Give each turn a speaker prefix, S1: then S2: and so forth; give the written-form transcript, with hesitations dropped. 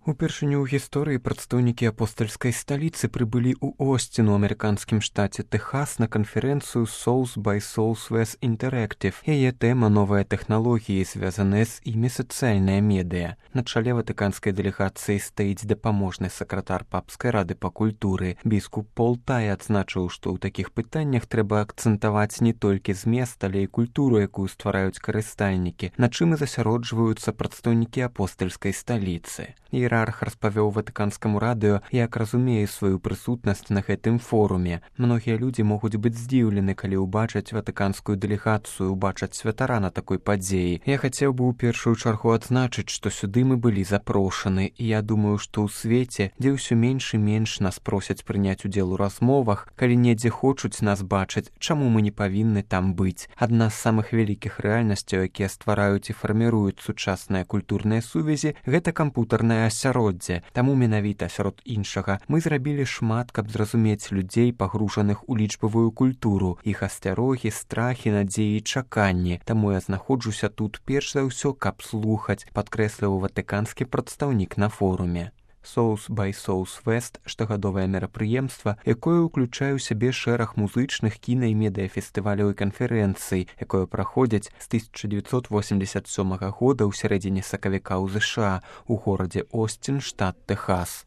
S1: Упершыню ў гісторыі прадстаўнікі апостальскай сталіцы прыбылі ў Остин у амерыканскім штаце Тэхас на канферэнцыю Souls by Southwest Interactive. Яе тэма «Новыя тэхналогіі, звязаныя з імі сацыяльная медыя». На чале ватыканскай дэлегацыі стаіць дапаможны сакратар папскай рады па культуры. Біскуп Пол Тай адзначыў, што ў такіх пытаннях трэба акцэнтаваць не толькі змест, але і культуру, якую ствараюць карыстальнікі, на чым і засяроджваюцца прадстаўнікі апостальскай сталіцы. Іерарх распавёў ватыканскаму радыё, як разумее сваю прысутнасць на гэтым форуме. Многія людзі могуць быць здзіўлены, калі ўбачаць ватыканскую дэлегацыю, убачаць святара на такой падзеі. Я хацеў бы ў першую чаргу адзначыць, што сюды мы былі запрошаны, і я думаю, што ў свеце, дзе ўсё менш і менш нас просяць прыняць удзел у размовах, калі недзе хочуць нас бачыць, чаму мы не павінны там быць. Адна з самых вялікіх рэальнасцяў, якія ствараюць і фарміруюць сучасныя культурныя сувязі, гэта кампутарнае асяроддзе. Таму менавіта сярод іншага мы зрабілі шмат, каб зразумець людзей, пагружаных у лічбавую культуру, іх асцярогі, страхі, надзеі і чаканні. Таму я знаходжуся тут перш за ўсё, каб слухаць, падкрэсліў ватыканскі прадстаўнік на форуме. Souls by Southwest – штогадовае мерапрыемства, якое ўключае ў сябе шэраг музычных, кіна- і медыяфестываляў і канферэнцый, якое праходзяць з 1987 года ў сярэдзіне сакавіка ў ЗША у горадзе Остин, штат Тэхас.